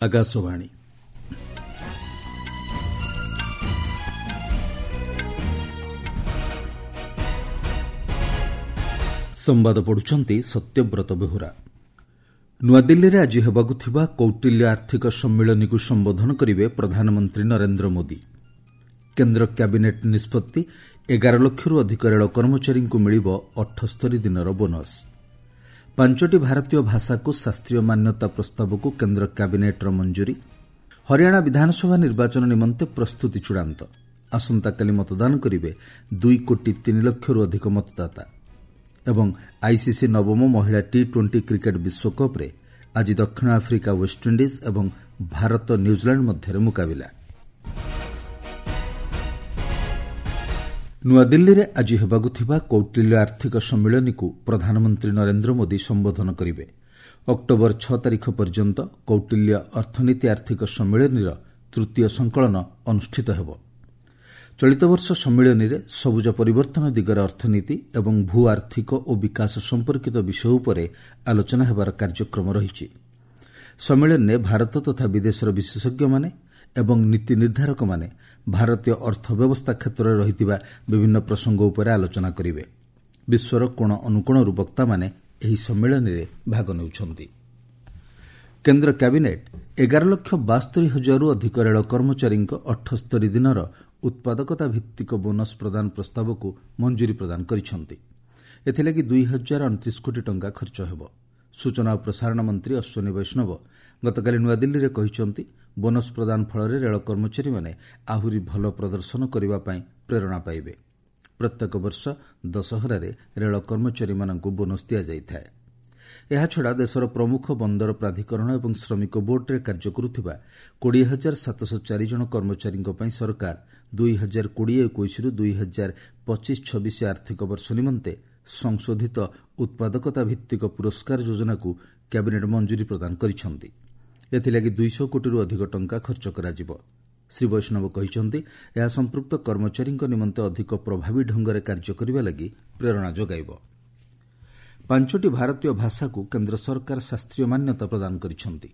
ଆକାଶବାଣୀ। ସମ୍ବାଦ ପଢୁଛନ୍ତି ସତ୍ୟବ୍ରତ ବେହୁରା। ନୂଆଦିଲ୍ଲୀରେ ଆଜି ହେବାକୁ ଥିବା କୌଟିଲ୍ୟ ଆର୍ଥିକ ସମ୍ମିଳନୀକୁ ସମ୍ବୋଧନ କରିବେ ପ୍ରଧାନମନ୍ତ୍ରୀ ନରେନ୍ଦ୍ର ମୋଦି। କେନ୍ଦ୍ର କ୍ୟାବିନେଟ୍ ନିଷ୍ପତ୍ତି, 11 ଲକ୍ଷରୁ ଅଧିକ ରେଳ କର୍ମଚାରୀଙ୍କୁ ମିଳିବ 78 ଦିନର ବୋନସ୍। ପାଞ୍ଚଟି ଭାରତୀୟ ଭାଷାକୁ ଶାସ୍ତ୍ରୀୟ ମାନ୍ୟତା ପ୍ରସ୍ତାବକୁ କେନ୍ଦ୍ର କ୍ୟାବିନେଟ୍ର ମଞ୍ଜୁରୀ। ହରିୟାଣା ବିଧାନସଭା ନିର୍ବାଚନ ନିମନ୍ତେ ପ୍ରସ୍ତୁତି ଚୂଡ଼ାନ୍ତ। ଆସନ୍ତାକାଲି ମତଦାନ କରିବେ 2 କୋଟି 3 ଲକ୍ଷରୁ ଅଧିକ ମତଦାତା। ଏବଂ ଆଇସିସି ନବମ ମହିଳା ଟି ଟ୍ୱେଣ୍ଟି କ୍ରିକେଟ୍ ବିଶ୍ୱକପ୍ରେ ଆଜି ଦକ୍ଷିଣ ଆଫ୍ରିକା ୱେଷ୍ଟଇଣ୍ଡିଜ୍ ଏବଂ ଭାରତ ନ୍ୟୁଜିଲାଣ୍ଡ ମଧ୍ୟରେ ମୁକାବିଲା। ନୂଆଦିଲ୍ଲୀରେ ଆଜି ହେବାକୁ ଥିବା କୌଟିଲ୍ୟ ଆର୍ଥିକ ସମ୍ମିଳନୀକୁ ପ୍ରଧାନମନ୍ତ୍ରୀ ନରେନ୍ଦ୍ର ମୋଦି ସମ୍ବୋଧନ କରିବେ। ଅକ୍ଟୋବର 6 ତାରିଖ ପର୍ଯ୍ୟନ୍ତ କୌଟିଲ୍ୟ ଅର୍ଥନୀତି ଆର୍ଥିକ ସମ୍ମିଳନୀର ତୃତୀୟ ସଂକଳନ ଅନୁଷ୍ଠିତ ହେବ। ଚଳିତ ବର୍ଷ ସମ୍ମିଳନୀରେ ସବୁଜ ପରିବର୍ତ୍ତନ ଦିଗରେ ଅର୍ଥନୀତି ଏବଂ ଭୂ ଆର୍ଥିକ ଓ ବିକାଶ ସମ୍ପର୍କିତ ବିଷୟ ଉପରେ ଆଲୋଚନା ହେବାର କାର୍ଯ୍ୟକ୍ରମ ରହିଛି। ସମ୍ମିଳନୀରେ ଭାରତ ତଥା ବିଦେଶର ବିଶେଷଜ୍ଞମାନେ ଏବଂ ନୀତି ନିର୍ଦ୍ଧାରକମାନେ ଭାରତୀୟ ଅର୍ଥ ବ୍ୟବସ୍ଥା କ୍ଷେତ୍ରରେ ରହିଥିବା ବିଭିନ୍ନ ପ୍ରସଙ୍ଗ ଉପରେ ଆଲୋଚନା କରିବେ। ବିଶ୍ୱର କୋଣ ଅନୁକୋଣରୁ ବକ୍ତାମାନେ ଏହି ସମ୍ମିଳନୀରେ ଭାଗ ନେଉଛନ୍ତି। କେନ୍ଦ୍ର କ୍ୟାବିନେଟ୍ 11 ଲକ୍ଷ 72 ହଜାରରୁ ଅଧିକ ରେଳ କର୍ମଚାରୀଙ୍କ 78 ଦିନର ଉତ୍ପାଦକତା ଭିତ୍ତିକ ବୋନସ୍ ପ୍ରଦାନ ପ୍ରସ୍ତାବକୁ ମଞ୍ଜୁରୀ ପ୍ରଦାନ କରିଛନ୍ତି। ଏଥିଲାଗି 2029 କୋଟି ଟଙ୍କା ଖର୍ଚ୍ଚ ହେବ। ସୂଚନା ଓ ପ୍ରସାରଣ ମନ୍ତ୍ରୀ ଅଶ୍ୱିନୀ ବୈଷ୍ଣବ ଗତକାଲି ନୂଆଦିଲ୍ଲୀରେ କହିଛନ୍ତି, ବୋନସ୍ ପ୍ରଦାନ ଫଳରେ ରେଳ କର୍ମଚାରୀମାନେ ଆହୁରି ଭଲ ପ୍ରଦର୍ଶନ କରିବା ପାଇଁ ପ୍ରେରଣା ପାଇବେ। ପ୍ରତ୍ୟେକ ବର୍ଷ ଦଶହରାରେ ରେଳ କର୍ମଚାରୀମାନଙ୍କୁ ବୋନସ୍ ଦିଆଯାଇଥାଏ। ଏହାଛଡ଼ା ଦେଶର ପ୍ରମୁଖ ବନ୍ଦର ପ୍ରାଧିକରଣ ଏବଂ ଶ୍ରମିକ ବୋର୍ଡରେ କାର୍ଯ୍ୟ କରୁଥିବା 20,704 ଜଣ କର୍ମଚାରୀଙ୍କ ପାଇଁ ସରକାର 2020-21ରୁ 2025-26 ଆର୍ଥିକ ବର୍ଷ ନିମନ୍ତେ ସଂଶୋଧିତ ଉତ୍ପାଦକତା ଭିତ୍ତିକ ପୁରସ୍କାର ଯୋଜନାକୁ କ୍ୟାବିନେଟ୍ ମଞ୍ଜୁରୀ ପ୍ରଦାନ କରିଛନ୍ତି। ଏଥିଲାଗି 200 କୋଟିରୁ ଅଧିକ ଟଙ୍କା ଖର୍ଚ୍ଚ କରାଯିବ। ଶ୍ରୀ ବୈଷ୍ଣବ କହିଛନ୍ତି, ଏହା ସମ୍ପୃକ୍ତ କର୍ମଚାରୀଙ୍କ ନିମନ୍ତେ ଅଧିକ ପ୍ରଭାବୀ ଢଙ୍ଗରେ କାର୍ଯ୍ୟ କରିବା ଲାଗି ପ୍ରେରଣା ଯୋଗାଇବ। ପାଞ୍ଚଟି ଭାରତୀୟ ଭାଷାକୁ କେନ୍ଦ୍ର ସରକାର ଶାସ୍ତ୍ରୀୟ ମାନ୍ୟତା ପ୍ରଦାନ କରିଛନ୍ତି।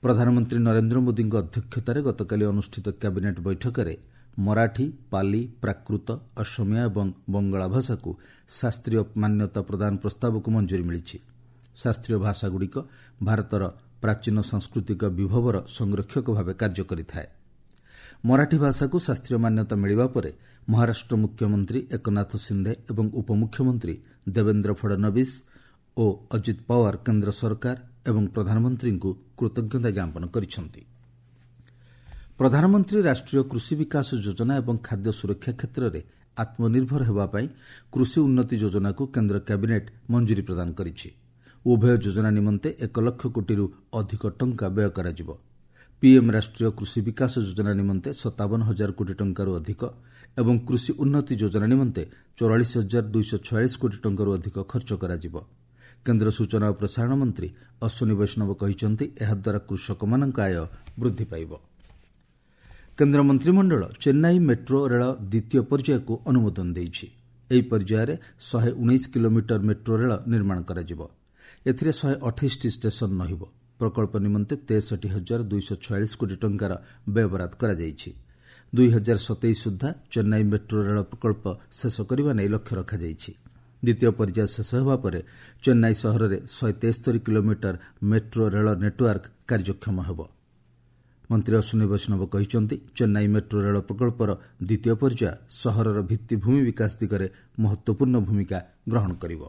ପ୍ରଧାନମନ୍ତ୍ରୀ ନରେନ୍ଦ୍ର ମୋଦିଙ୍କ ଅଧ୍ୟକ୍ଷତାରେ ଗତକାଲି ଅନୁଷ୍ଠିତ କ୍ୟାବିନେଟ୍ ବୈଠକରେ ମରାଠୀ, ପାଲି, ପ୍ରାକୃତ, ଅସମିଆ ଏବଂ ବଙ୍ଗଳା ଭାଷାକୁ ଶାସ୍ତ୍ରୀୟ ମାନ୍ୟତା ପ୍ରଦାନ ପ୍ରସ୍ତାବକୁ ମଞ୍ଜୁରୀ ମିଳିଛି। ଶାସ୍ତ୍ରୀୟ ଭାଷାଗୁଡ଼ିକ ଭାରତର ପ୍ରାଚୀନ ସାଂସ୍କୃତିକ ବିଭବର ସଂରକ୍ଷକ ଭାବେ କାର୍ଯ୍ୟ କରିଥାଏ। ମରାଠୀ ଭାଷାକୁ ଶାସ୍ତ୍ରୀୟ ମାନ୍ୟତା ମିଳିବା ପରେ ମହାରାଷ୍ଟ୍ର ମୁଖ୍ୟମନ୍ତ୍ରୀ ଏକନାଥ ସିନ୍ଧେ ଏବଂ ଉପମୁଖ୍ୟମନ୍ତ୍ରୀ ଦେବେନ୍ଦ୍ର ଫଡନବିସ୍ ଓ ଅଜିତ ପାୱାର କେନ୍ଦ୍ର ସରକାର ଏବଂ ପ୍ରଧାନମନ୍ତ୍ରୀଙ୍କୁ କୃତଜ୍ଞତା ଜ୍ଞାପନ କରିଛନ୍ତି। ପ୍ରଧାନମନ୍ତ୍ରୀ ରାଷ୍ଟ୍ରୀୟ କୃଷି ବିକାଶ ଯୋଜନା ଏବଂ ଖାଦ୍ୟ ସୁରକ୍ଷା କ୍ଷେତ୍ରରେ ଆତ୍ମନିର୍ଭର ହେବା ପାଇଁ କୃଷି ଉନ୍ନତି ଯୋଜନାକୁ କେନ୍ଦ୍ର କ୍ୟାବିନେଟ୍ ମଞ୍ଜୁରୀ ପ୍ରଦାନ କରିଛି। ଉଭୟ ଯୋଜନା ନିମନ୍ତେ 1 ଲକ୍ଷ କୋଟିରୁ ଅଧିକ ଟଙ୍କା ବ୍ୟୟ କରାଯିବ। ପିଏମ୍ ରାଷ୍ଟ୍ରୀୟ କୃଷି ବିକାଶ ଯୋଜନା ନିମନ୍ତେ 57 ହଜାର କୋଟି ଟଙ୍କାରୁ ଅଧିକ ଏବଂ କୃଷି ଉନ୍ନତି ଯୋଜନା ନିମନ୍ତେ 44,246 କୋଟି ଟଙ୍କାରୁ ଅଧିକ ଖର୍ଚ୍ଚ କରାଯିବ। କେନ୍ଦ୍ର ସୂଚନା ଓ ପ୍ରସାରଣ ମନ୍ତ୍ରୀ ଅଶ୍ୱିନୀ ବୈଷ୍ଣବ କହିଛନ୍ତି, ଏହାଦ୍ୱାରା କୃଷକମାନଙ୍କ ଆୟ ବୃଦ୍ଧି ପାଇବ। କେନ୍ଦ୍ର ମନ୍ତ୍ରିମଣ୍ଡଳ ଚେନ୍ନାଇ ମେଟ୍ରୋ ରେଳ ଦ୍ୱିତୀୟ ପର୍ଯ୍ୟାୟକୁ ଅନୁମୋଦନ ଦେଇଛି। ଏହି ପର୍ଯ୍ୟାୟରେ 119 କିଲୋମିଟର ମେଟ୍ରୋ ରେଳ ନିର୍ମାଣ କରାଯିବ। ଏଥିରେ 128ଟି ଷ୍ଟେସନ ରହିବ। ପ୍ରକଳ୍ପ ନିମନ୍ତେ 63,246 କୋଟି ଟଙ୍କାର ବ୍ୟୟବରାଦ କରାଯାଇଛି। 2027 ସୁଦ୍ଧା ଚେନ୍ନାଇ ମେଟ୍ରୋ ରେଳ ପ୍ରକଳ୍ପ ଶେଷ କରିବା ନେଇ ଲକ୍ଷ୍ୟ ରଖାଯାଇଛି। ଦ୍ୱିତୀୟ ପର୍ଯ୍ୟାୟ ଶେଷ ହେବା ପରେ ଚେନ୍ନାଇ ସହରରେ 173 କିଲୋମିଟର ମେଟ୍ରୋ ରେଳ ନେଟୱାର୍କ କାର୍ଯ୍ୟକ୍ଷମ ହେବ। ମନ୍ତ୍ରୀ ଅଶ୍ୱିନୀ ବୈଷ୍ଣବ କହିଛନ୍ତି, ଚେନ୍ନାଇ ମେଟ୍ରୋ ରେଳ ପ୍ରକଳ୍ପର ଦ୍ୱିତୀୟ ପର୍ଯ୍ୟାୟ ସହରର ଭିତ୍ତିଭୂମି ବିକାଶ ଦିଗରେ ମହତ୍ୱପୂର୍ଣ୍ଣ ଭୂମିକା ଗ୍ରହଣ କରିବ।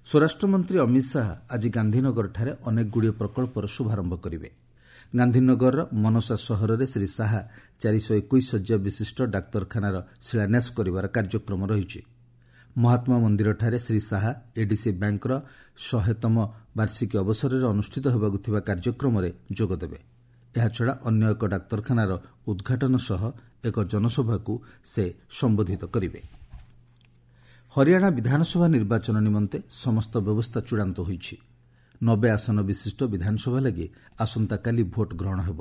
ସ୍ୱରାଷ୍ଟ୍ରମନ୍ତ୍ରୀ ଅମିତ ଶାହା ଆଜି ଗାନ୍ଧୀନଗରଠାରେ ଅନେକଗୁଡ଼ିଏ ପ୍ରକଳ୍ପର ଶୁଭାରମ୍ଭ କରିବେ। ଗାନ୍ଧୀନଗରର ମନସା ସହରରେ ଶ୍ରୀ ଶାହା 421 ଶଯ୍ୟା ବିଶିଷ୍ଟ ଡାକ୍ତରଖାନାର ଶିଳାନ୍ୟାସ କରିବାର କାର୍ଯ୍ୟକ୍ରମ ରହିଛି। ମହାତ୍ମା ମନ୍ଦିରଠାରେ ଶ୍ରୀ ଶାହା ଏଡିସି ବ୍ୟାଙ୍କର 100ତମ ବାର୍ଷିକୀ ଅବସରରେ ଅନୁଷ୍ଠିତ ହେବାକୁ ଥିବା କାର୍ଯ୍ୟକ୍ରମରେ ଯୋଗଦେବେ। ଏହାଛଡ଼ା ଅନ୍ୟ ଏକ ଡାକ୍ତରଖାନାର ଉଦ୍ଘାଟନ ସହ ଏକ ଜନସଭାକୁ ସେ ସମ୍ବୋଧିତ କରିବେ। ହରିୟାଣା ବିଧାନସଭା ନିର୍ବାଚନ ନିମନ୍ତେ ସମସ୍ତ ବ୍ୟବସ୍ଥା ଚୂଡ଼ାନ୍ତ ହୋଇଛି। 90 ଆସନ ବିଶିଷ୍ଟ ବିଧାନସଭା ଲାଗି ଆସନ୍ତାକାଲି ଭୋଟ୍ ଗ୍ରହଣ ହେବ।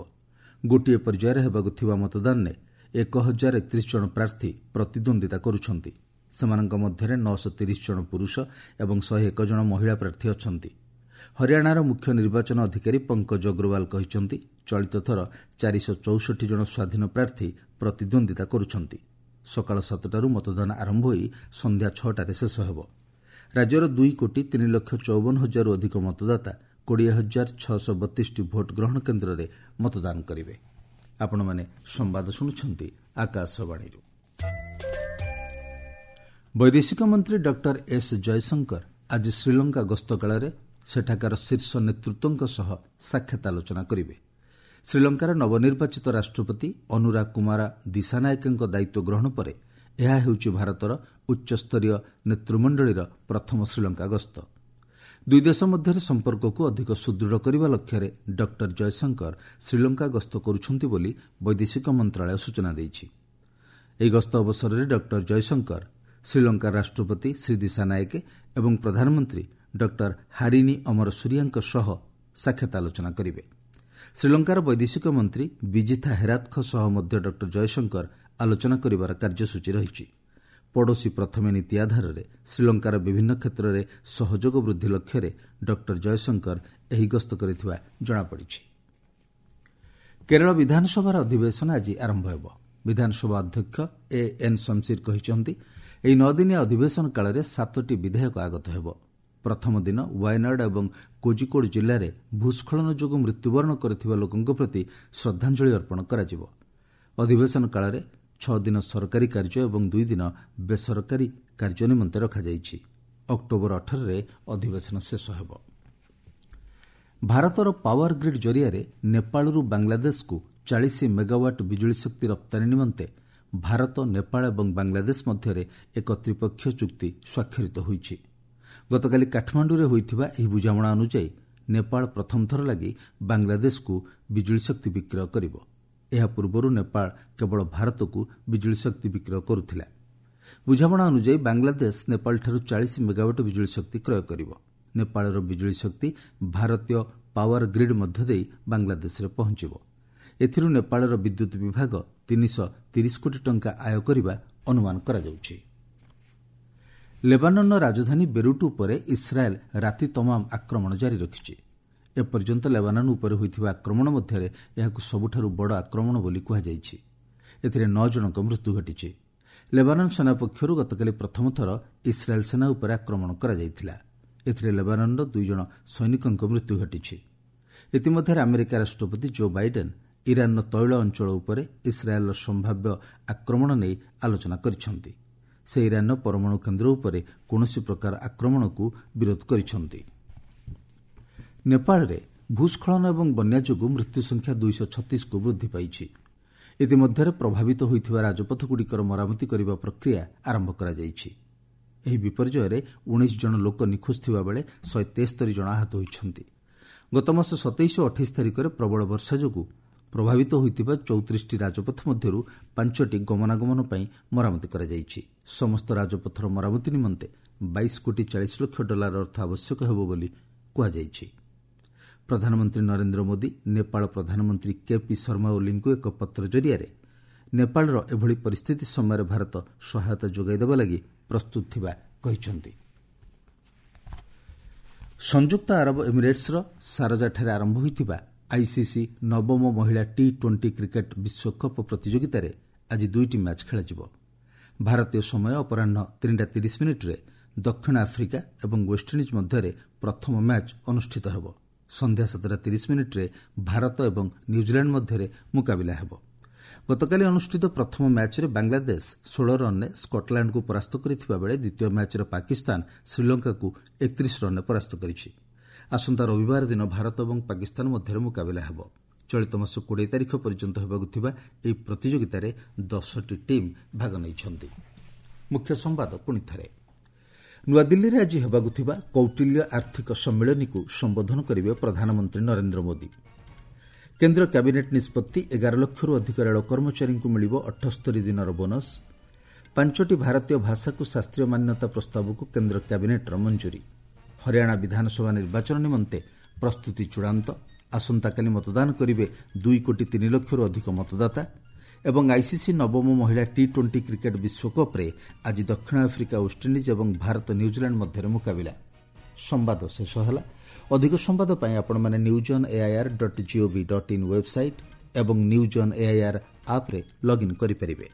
ଗୋଟିଏ ପର୍ଯ୍ୟାୟରେ ହେବାକୁ ଥିବା ମତଦାନରେ 1031 ଜଣ ପ୍ରାର୍ଥୀ ପ୍ରତିଦ୍ୱନ୍ଦ୍ୱିତା କରୁଛନ୍ତି। ସେମାନଙ୍କ ମଧ୍ୟରେ 930 ଜଣ ପୁରୁଷ ଏବଂ 101 ଜଣ ମହିଳା ପ୍ରାର୍ଥୀ ଅଛନ୍ତି। ହରିୟାଣାର ମୁଖ୍ୟ ନିର୍ବାଚନ ଅଧିକାରୀ ପଙ୍କଜ ଅଗ୍ରୱାଲ କହିଛନ୍ତି, ଚଳିତ ଥର 464 ଜଣ ସ୍ୱାଧୀନ ପ୍ରାର୍ଥୀ ପ୍ରତିଦ୍ୱନ୍ଦ୍ୱିତା କରୁଛନ୍ତି। ସକାଳ 7ଟାରୁ ମତଦାନ ଆରମ୍ଭ ହୋଇ ସନ୍ଧ୍ୟା 6ଟାରେ ଶେଷ ହେବ। ରାଜ୍ୟର 2,03,54,000ରୁ ଅଧିକ ମତଦାତା 20,632ଟି ଭୋଟ୍ ଗ୍ରହଣ କେନ୍ଦ୍ରରେ ମତଦାନ କରିବେ। ଆପଣମାନେ ସମ୍ବାଦ ଶୁଣୁଛନ୍ତି ଆକାଶବାଣୀରୁ। ବୈଦେଶିକ ମନ୍ତ୍ରୀ ଡକ୍ଟର ଏସ୍ ଜୟଶଙ୍କର ଆଜି ଶ୍ରୀଲଙ୍କା ଗସ୍ତ କାଳରେ ସେଠାକାର ଶୀର୍ଷ ନେତୃତ୍ୱଙ୍କ ସହ ସାକ୍ଷାତ ଆଲୋଚନା କରିବେ। ଶ୍ରୀଲଙ୍କାର ନବନିର୍ବାଚିତ ରାଷ୍ଟ୍ରପତି ଅନୁରା କୁମାରା ଦିଶାନାୟକଙ୍କ ଦାୟିତ୍ୱ ଗ୍ରହଣ ପରେ ଏହା ହେଉଛି ଭାରତର ଉଚ୍ଚସ୍ତରୀୟ ନେତୃମଣ୍ଡଳୀର ପ୍ରଥମ ଶ୍ରୀଲଙ୍କା ଗସ୍ତ। ଦୁଇ ଦେଶ ମଧ୍ୟରେ ସମ୍ପର୍କକୁ ଅଧିକ ସୁଦୃଢ଼ କରିବା ଲକ୍ଷ୍ୟରେ ଡକ୍ଟର ଜୟଶଙ୍କର ଶ୍ରୀଲଙ୍କା ଗସ୍ତ କରୁଛନ୍ତି ବୋଲି ବୈଦେଶିକ ମନ୍ତ୍ରଣାଳୟ ସୂଚନା ଦେଇଛି। ଏହି ଗସ୍ତ ଅବସରରେ ଡକ୍ଟର ଜୟଶଙ୍କର ଶ୍ରୀଲଙ୍କା ରାଷ୍ଟ୍ରପତି ଶ୍ରୀ ଦିଶାନାୟକେ ଏବଂ ପ୍ରଧାନମନ୍ତ୍ରୀ ଡକ୍ଟର ହାରିନୀ ଅମରସୁରିଆଙ୍କ ସହ ସାକ୍ଷାତ ଆଲୋଚନା କରିବେ। ଶ୍ରୀଲଙ୍କାର ବୈଦେଶିକ ମନ୍ତ୍ରୀ ବିଜିଥା ହେରାତଙ୍କ ସହ ମଧ୍ୟ ଡକ୍ଟର ଜୟଶଙ୍କର ଆଲୋଚନା କରିବାର କାର୍ଯ୍ୟସୂଚୀ ରହିଛି। ପଡ଼ୋଶୀ ପ୍ରଥମେ ନୀତି ଆଧାରରେ ଶ୍ରୀଲଙ୍କାର ବିଭିନ୍ନ କ୍ଷେତ୍ରରେ ସହଯୋଗ ବୃଦ୍ଧି ଲକ୍ଷ୍ୟରେ ଡକ୍ଟର ଜୟଶଙ୍କର ଏହି ଗସ୍ତ କରିଥିବା ଜଣାପଡ଼ିଛି। କେରଳ ବିଧାନସଭାର ଅଧିବେଶନ ଆଜି ଆରମ୍ଭ ହେବ। ବିଧାନସଭା ଅଧ୍ୟକ୍ଷ ଏ ଏନ୍ ଶମସିର କହିଛନ୍ତି, ଏହି 9 ଦିନିଆ ଅଧିବେଶନ କାଳରେ 7ଟି ବିଧେୟକ ଆଗତ ହେବ। ପ୍ରଥମ ଦିନ ୱାୟନାଡ୍ ଏବଂ କୋଜିକୋଡ୍ ଜିଲ୍ଲାରେ ଭୂସ୍ଖଳନ ଯୋଗୁଁ ମୃତ୍ୟୁବରଣ କରିଥିବା ଲୋକଙ୍କ ପ୍ରତି ଶ୍ରଦ୍ଧାଞ୍ଜଳି ଅର୍ପଣ କରାଯିବ। ଅଧିବେଶନ କାଳରେ 6 ଦିନ ସରକାରୀ କାର୍ଯ୍ୟ ଏବଂ 2 ଦିନ ବେସରକାରୀ କାର୍ଯ୍ୟ ନିମନ୍ତେ ରଖାଯାଇଛି। ଅକ୍ଟୋବର 18ରେ ଅଧିବେଶନ ଶେଷ ହେବ। ଭାରତର ପାୱାର ଗ୍ରିଡ୍ ଜରିଆରେ ନେପାଳରୁ ବାଂଲାଦେଶକୁ 40 ମେଗାୱାଟ୍ ବିଜୁଳି ଶକ୍ତି ରପ୍ତାନୀ ନିମନ୍ତେ ଭାରତ, ନେପାଳ ଏବଂ ବାଂଲାଦେଶ ମଧ୍ୟରେ ଏକ ତ୍ରିପକ୍ଷୀୟ ଚୁକ୍ତି ସ୍ୱାକ୍ଷରିତ ହୋଇଛି। ଗତକାଲି କାଠମାଣ୍ଡୁରେ ହୋଇଥିବା ଏହି ବୁଝାମଣା ଅନୁଯାୟୀ ନେପାଳ ପ୍ରଥମ ଥର ଲାଗି ବାଂଲାଦେଶକୁ ବିଜୁଳି ଶକ୍ତି ବିକ୍ରୟ କରିବ। ଏହା ପୂର୍ବରୁ ନେପାଳ କେବଳ ଭାରତକୁ ବିଜୁଳି ଶକ୍ତି ବିକ୍ରୟ କରୁଥିଲା। ବୁଝାମଣା ଅନୁଯାୟୀ ବାଂଲାଦେଶ ନେପାଳଠାରୁ 40 ମେଗାୱାଟ୍ ବିଜୁଳି ଶକ୍ତି କ୍ରୟ କରିବ। ନେପାଳର ବିଜୁଳି ଶକ୍ତି ଭାରତୀୟ ପାୱାର ଗ୍ରିଡ୍ ମଧ୍ୟ ଦେଇ ବାଂଲାଦେଶରେ ପହଞ୍ଚିବ। ଏଥିରୁ ନେପାଳର ବିଦ୍ୟୁତ୍ ବିଭାଗ 330 କୋଟି ଟଙ୍କା ଆୟ କରିବା ଅନୁମାନ କରାଯାଉଛି। ଲେବାନନ୍ର ରାଜଧାନୀ ବେରୁଟ୍ ଉପରେ ଇସ୍ରାଏଲ୍ ରାତି ତମାମ ଆକ୍ରମଣ ଜାରି ରଖିଛି। ଏପର୍ଯ୍ୟନ୍ତ ଲେବାନନ୍ ଉପରେ ହୋଇଥିବା ଆକ୍ରମଣ ମଧ୍ୟରେ ଏହାକୁ ସବୁଠାରୁ ବଡ଼ ଆକ୍ରମଣ ବୋଲି କୁହାଯାଇଛି। ଏଥିରେ ନଅ ଜଣଙ୍କ ମୃତ୍ୟୁ ଘଟିଛି। ଲେବାନନ୍ ସେନା ପକ୍ଷରୁ ଗତକାଲି ପ୍ରଥମ ଥର ଇସ୍ରାଏଲ୍ ସେନା ଉପରେ ଆକ୍ରମଣ କରାଯାଇଥିଲା। ଏଥିରେ ଲେବାନନ୍ର ଦୁଇ ଜଣ ସୈନିକଙ୍କ ମୃତ୍ୟୁ ଘଟିଛି। ଇତିମଧ୍ୟରେ ଆମେରିକା ରାଷ୍ଟ୍ରପତି ଜୋ ବାଇଡେନ୍ ଇରାନ୍ର ତୈଳ ଅଞ୍ଚଳ ଉପରେ ଇସ୍ରାଏଲ୍ର ସମ୍ଭାବ୍ୟ ଆକ୍ରମଣ ନେଇ ଆଲୋଚନା କରିଛନ୍ତି। ସେ ଇରାନ୍ର ପରମାଣୁ କେନ୍ଦ୍ର ଉପରେ କୌଣସି ପ୍ରକାର ଆକ୍ରମଣକୁ ବିରୋଧ କରିଛନ୍ତି। ନେପାଳରେ ଭୂସ୍ଖଳନ ଏବଂ ବନ୍ୟା ଯୋଗୁଁ ମୃତ୍ୟୁ ସଂଖ୍ୟା 236କୁ ବୃଦ୍ଧି ପାଇଛି। ଇତିମଧ୍ୟରେ ପ୍ରଭାବିତ ହୋଇଥିବା ରାଜପଥଗୁଡ଼ିକର ମରାମତି କରିବା ପ୍ରକ୍ରିୟା ଆରମ୍ଭ କରାଯାଇଛି। ଏହି ବିପର୍ଯ୍ୟୟରେ 19 ଜଣ ଲୋକ ନିଖୋଜ ଥିବାବେଳେ 173 ଜଣ ଆହତ ହୋଇଛନ୍ତି। ଗତମାସ 27 ଓ 28 ତାରିଖରେ ପ୍ରବଳ ବର୍ଷା ଯୋଗୁଁ ପ୍ରଭାବିତ ହୋଇଥିବା 34ଟି ରାଜପଥ ମଧ୍ୟରୁ ପାଞ୍ଚଟି ଗମନାଗମନ ପାଇଁ ମରାମତି କରାଯାଇଛି। ସମସ୍ତ ରାଜପଥର ମରାମତି ନିମନ୍ତେ 22 କୋଟି 40 ଲକ୍ଷ ଡଲାର ଅର୍ଥ ଆବଶ୍ୟକ ହେବ ବୋଲି କୁହାଯାଇଛି। ପ୍ରଧାନମନ୍ତ୍ରୀ ନରେନ୍ଦ୍ର ମୋଦି ନେପାଳ ପ୍ରଧାନମନ୍ତ୍ରୀ କେ ପି ଶର୍ମା ଓଲିଙ୍କୁ ଏକ ପତ୍ର ଜରିଆରେ ନେପାଳର ଏଭଳି ପରିସ୍ଥିତି ସମୟରେ ଭାରତ ସହାୟତା ଯୋଗାଇ ଦେବା ଲାଗି ପ୍ରସ୍ତୁତ ଥିବା କହିଛନ୍ତି। ସଂଯୁକ୍ତ ଆରବ ଏମିରେଟ୍ସର ସାରଜାଠାରେ ଆରମ୍ଭ ହୋଇଥିବା ଆଇସିସି ନବମ ମହିଳା ଟି-20 କ୍ରିକେଟ୍ ବିଶ୍ୱକପ୍ ପ୍ରତିଯୋଗିତାରେ ଆଜି ଦୁଇଟି ମ୍ୟାଚ୍ ଖେଳାଯିବ। ଭାରତୀୟ ସମୟ ଅପରାହ୍ନ 3ଟା 30 ମିନିଟ୍ରେ ଦକ୍ଷିଣ ଆଫ୍ରିକା ଏବଂ ୱେଷ୍ଟଇଣ୍ଡିଜ୍ ମଧ୍ୟରେ ପ୍ରଥମ ମ୍ୟାଚ୍ ଅନୁଷ୍ଠିତ ହେବ। ସନ୍ଧ୍ୟା 7ଟା 30 ମିନିଟ୍ରେ ଭାରତ ଏବଂ ନ୍ୟୁଜିଲାଣ୍ଡ ମଧ୍ୟରେ ମୁକାବିଲା ହେବ। ଗତକାଲି ଅନୁଷ୍ଠିତ ପ୍ରଥମ ମ୍ୟାଚ୍ରେ ବାଂଲାଦେଶ 16 ରନ୍ରେ ସ୍କଟଲାଣ୍ଡକୁ ପରାସ୍ତ କରିଥିବା ବେଳେ ଦ୍ୱିତୀୟ ମ୍ୟାଚ୍ରେ ପାକିସ୍ତାନ ଶ୍ରୀଲଙ୍କାକୁ 31 ରନ୍ରେ ପରାସ୍ତ କରିଛି। ଆସନ୍ତା ରବିବାର ଦିନ ଭାରତ ଏବଂ ପାକିସ୍ତାନ ମଧ୍ୟରେ ମୁକାବିଲା ହେବ। ଚଳିତ ମାସ 20 ତାରିଖ ପର୍ଯ୍ୟନ୍ତ ହେବାକୁ ଥିବା ଏହି ପ୍ରତିଯୋଗିତାରେ 10ଟି ଟିମ୍ ଭାଗ ନେଇଛନ୍ତି। ମୁଖ୍ୟ ସମ୍ବାଦ ପୁଣି ଥରେ। ନୂଆଦିଲ୍ଲୀରେ ଆଜି ହେବାକୁ ଥିବା କୌଟିଲ୍ୟ ଆର୍ଥିକ ସମ୍ମିଳନୀକୁ ସମ୍ବୋଧନ କରିବେ ପ୍ରଧାନମନ୍ତ୍ରୀ ନରେନ୍ଦ୍ର ମୋଦି। କେନ୍ଦ୍ର କ୍ୟାବିନେଟ୍ ନିଷ୍ପତ୍ତି, 11 ଲକ୍ଷରୁ ଅଧିକ ରେଳ କର୍ମଚାରୀଙ୍କୁ ମିଳିବ 78 ଦିନର ବୋନସ୍। ପାଞ୍ଚଟି ଭାରତୀୟ ଭାଷାକୁ ଶାସ୍ତ୍ରୀୟ ମାନ୍ୟତା ପ୍ରସ୍ତାବକୁ କେନ୍ଦ୍ର କ୍ୟାବିନେଟ୍ର ମଞ୍ଜୁରୀ। ହରିୟାଣା ବିଧାନସଭା ନିର୍ବାଚନ ନିମନ୍ତେ ପ୍ରସ୍ତୁତି ଚୂଡ଼ାନ୍ତ। ଆସନ୍ତାକାଲି ମତଦାନ କରିବେ 2 କୋଟି 3 ଲକ୍ଷରୁ ଅଧିକ ମତଦାତା। ଏବଂ ଆଇସିସି ନବମ ମହିଳା ଟି-20 କ୍ରିକେଟ୍ ବିଶ୍ୱକପ୍ରେ ଆଜି ଦକ୍ଷିଣ ଆଫ୍ରିକା ୱେଷ୍ଟଇଣ୍ଡିଜ୍ ଏବଂ ଭାରତ ନ୍ୟୁଜିଲାଣ୍ଡ ମଧ୍ୟରେ ମୁକାବିଲା। ସମ୍ବାଦ ଶେଷ ହେଲା। ଅଧିକ ସମ୍ବାଦ ପାଇଁ ଆପଣମାନେ news on AIR dot gov dot in website ଏବଂ ନ୍ୟୁଜ୍ ଅନ୍ ଏଆଇଆର୍ ଆପ୍ରେ ଲଗ୍ଇନ୍ କରିପାରିବେ।